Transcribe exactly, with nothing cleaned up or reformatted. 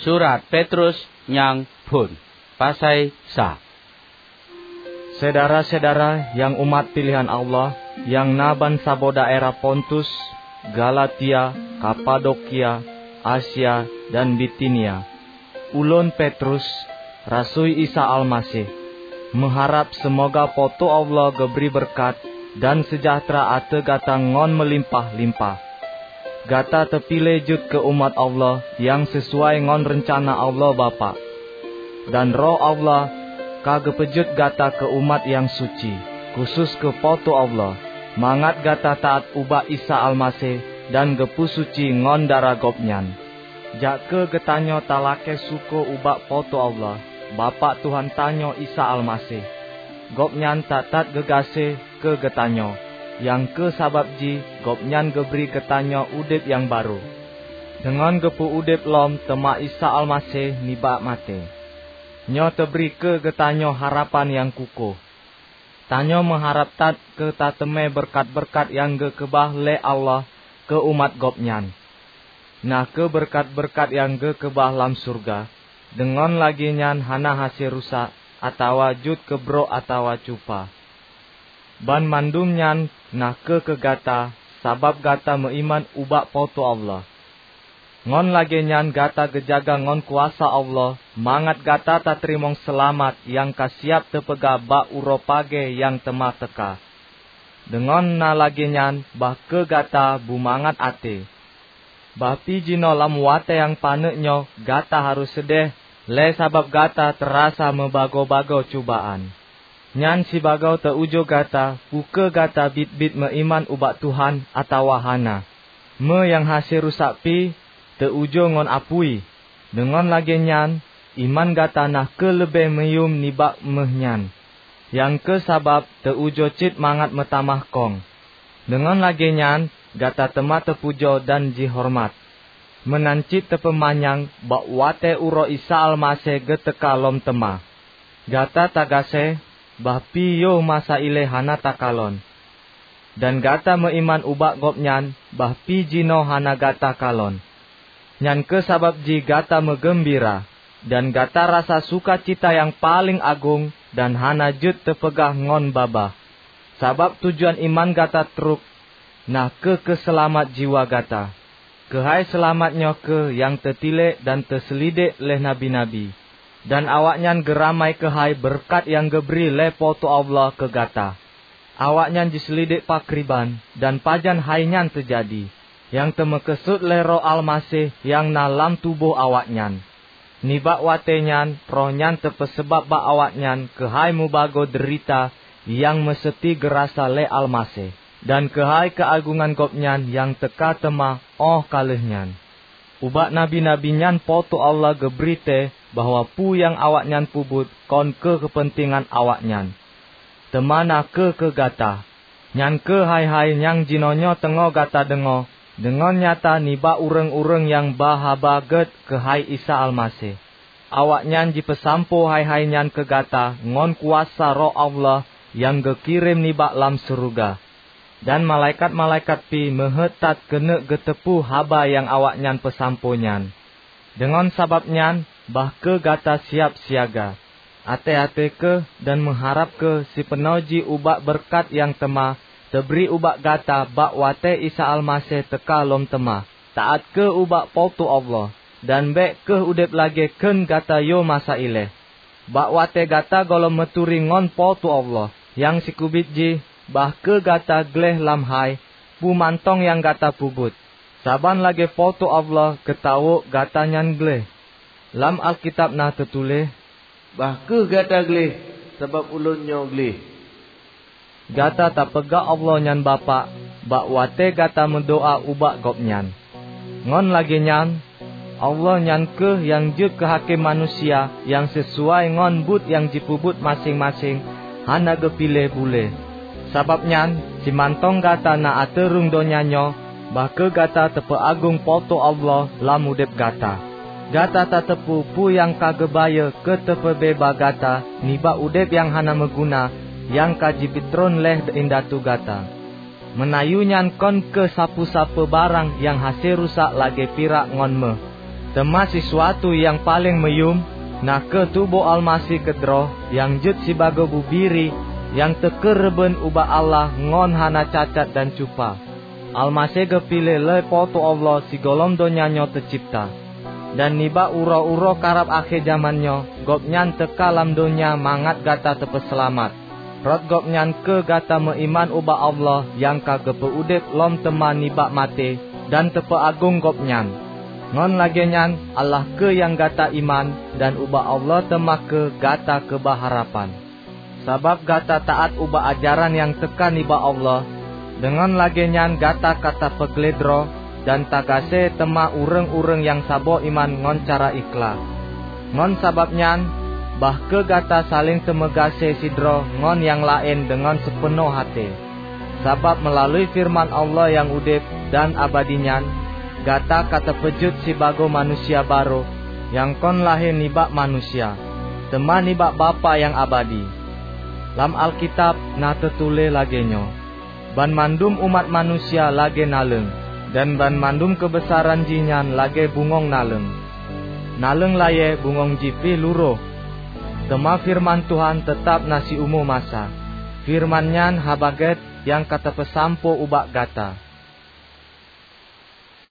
Surat Petrus nyang phon. Pasai sa. Syedara-syedara nyang umat piléhan Allah, nyang na bansaboh daerah Pontus, Galatia, Kapadokia, Asia, dan Bitinia. Ulôn Petrus, rasui Isa Almaseh, meuharab seumoga Po teu Allah geubri beureukat dan seujahteura ateueh gata ngon meulimpah-limpah. Gata teupiléh jeuet keu umat Allah nyang sisuai ngon reuncana Allah Bapak. Dan Roh Allah ka geupeujeuet gata keu umat nyang suci, khusos keu Po teu Allah, mangat gata taát ubak Isa Almaseh dan geupeusuci ngon darah Gobnyan. Jak kheueh geutanyoe talakée syukoe ubak Po teu Allah, Bapak Tuhan tanyoe Isa Almaseh. Gobnyan that-that geugaséh keu geutanyoe, nyang kheueh sabab jih Gobnyan geubri geutanyoe udeb nyang barô. Deungon geupeu-udeb lom teuma Isa Almaseh nibak maté. Nyoe teubri keu geutanyoe harapan nyang kukoh. Tanyoe meuharab that keu tateumé beureukat-beureukat nyang geukeubah lé Allah keu umat Gobnyan, na kheueh beureukat-beureukat nyang geukeubah lam syeuruga, deungon lagée nyan hana hase rusak, atawa jeuet keu brok atawa cupa. Banmandum nyan na kheueh keu gata, sabab gata meuiman ubak Po teu Allah. Ngon lagée nyan gata geujaga ngon kuasa Allah, mangat gata tateurimong seulamat nyang ka siab teupeugah bak uroe pagée nyang teuma teuka. Deungon na lagée nyan, bah kheueh gata beumangat até. Bah pi jinoe lam watée nyang paneuk nyoe gata harôh seudeh lé sabab gata teurasa meubagoe-bagoe cubaan. Nyan sibagoe teu-ujoe gata peu kheueh gata biet-biet meuiman ubak Tuhan atawa hana. Meu nyang hase rusak pi teu-ujoe ngon apui. Deungon lagée nyan, iman gata na kheueh leubeh meuyuem nibak méuh nyan, nyang kheueh sabab teu-ujoe cit mangat meutamah kong. Deungon lagée nyan gata teuma teupujoe dan jihoreumat, meunan cit teupeumanyang bak watée uroe Isa Almaseh geuteuka lom teuma. Gata tagaséh, bah pi yoh masa ilée hana takalon. Dan gata meuiman ubak Gobnyan, bah pi jinoe hana gata kalon. Nyan kheueh sabab jih gata meugeumbira, dan gata rasa sukacita nyang paleng agong dan hana jeuet teupeugah ngon babah. Sabab tujuan iman gata trok na kheueh keuseulamat jiwa gata. Keuhai seulamat nyoe kheueh nyang teutilek dan teuseulidek lé nabi-nabi, dan awaknyan geuramai keuhai beureukat nyang geubri lé Po teu Allah keu gata. Awaknyan jiseulidek pakriban dan pajan hai nyan teujadi, nyang teumeukeusut lé Roh Almaseh nyang na lam tuboh awaknyan. Nibak watée nyan Roh nyan teupeuseubab bak awaknyan keuhai mubagoe deurita nyang meuseuti geurasa lé Almaseh, dan keuhai keuagongan Gobnyan nyang teuka teuma óh ka lheueh nyan. Ubak nabi-nabi nyan Po teu Allah geubri tée bahwa peue nyang awaknyan peubuet kon keu keupeuntengan awaknyan, teuma na kheueh keu gata. Nyan kheueh hai-hai nyang jinoenyoe teungoh gata deungoe deungon nyata nibak ureuëng-ureuëng nyang ba haba gét keuhai Isa Almaseh. Awaknyan jipeusampoe hai-hai nyan keu gata ngon kuasa Roh Allah nyang geukirém nibak lam syeuruga. Dan malaikat-malaikat pi meuheuét that keuneuk geuteupeue haba nyang awaknyan peusampoe nyan. Deungon sabab nyan, bah kheueh gata siab siaga. Até-até kheueh dan meuharab kheueh sipeunoh jih ubak beureukat nyang teuma teubri ubak gata bak watée Isa Almaseh teuka lom teuma. Taát kheueh ubak Po teu Allah, dan bék kheueh udeb lagée kheun gata yoh masa ilée. Bak watée gata gohlom meuturi ngon Po teu Allah nyang sikeubiet jih, bah kheueh gata gleh lam hai peue mantong nyang gata peubuet, saban lagée Po teu Allah geutawök gata nyan gleh. Lam Alkitab na teutuléh, "Bah kheueh gata gleh, sabab ulôn nyoe gleh." Gata tapeugah Allah nyan Bapak bak watée gata meudoá ubak Gobnyan. Ngon lagée nyan, Allah nyan kheueh nyang jeuet keu hakém manusia nyang sisuai ngon buet nyang jipeubuet maséng-maséng hana geupiléh bulée. Sabab nyan, simantong gata na ateueh rhueng donya nyoe, bah kheueh gata teupeuagong Po teu Allah lam udeb gata. Gata tateupeue peue nyang ka geubayeue keu teupeubeubaih gata nibak udeb nyang hana meuguna nyang ka jipeutron lé indatu gata. Meunayue nyan kon keu sapeue-sapeue barang nyang hase rusak lagée pirak ngon méuh. Teuma sisuatu nyang paleng meuyuem, na kheueh tuboh Almaseh keudroe nyang jeuet sibagoe bubiri nyang teukeureubeuen ubak Allah ngon hana cacat dan cupa. Almaseh geupiléh lé Po teu Allah sigohlom donya nyoe teucebta. Dan nibak uroe-uroe karab akhé jamén nyoe, Gobnyan teuka lam donya mangat gata teupeuseulamat. Rot Gobnyan kheueh gata meuiman ubak Allah nyang ka geupeu udeb lom teuma nibak maté dan teupeuagong Gobnyan. Ngon lagée nyan, Allah kheueh nyang gata iman, dan ubak Allah teuma kheueh gata keubah harapan. Sabab gata taát ubak ajaran nyang teuka nibak Allah, deungon lagée nyan gata ka tapeuglédroe dan tagaséh teuma ureuëng-ureuëng nyang saboh iman ngon cara ikhlaih. Ngon sabab nyan, bah kheueh gata saléng teumeugaséh sidroe ngon nyang laén deungon seupeunoh até. Sabab meulalu feureuman Allah nyang udeb dan abadi nyan, gata ka tapeujeuet sibagoe manusia barô nyang kon lahé nibak manusia, teuma nibak Bapak nyang abadi. Lam Alkitab na teutuléh lagée nyoe, "Banmandum umat manusia lagée naleueng, dan banmandum keubeusaran jih nyan lagée bungöng naleueng. Naleueng layée, bungöng jih pih lurôh." Teuma feureuman Tuhan teutab na siumu masa. Feureuman nyan Haba Gét nyang ka tapeusampoe ubak gata.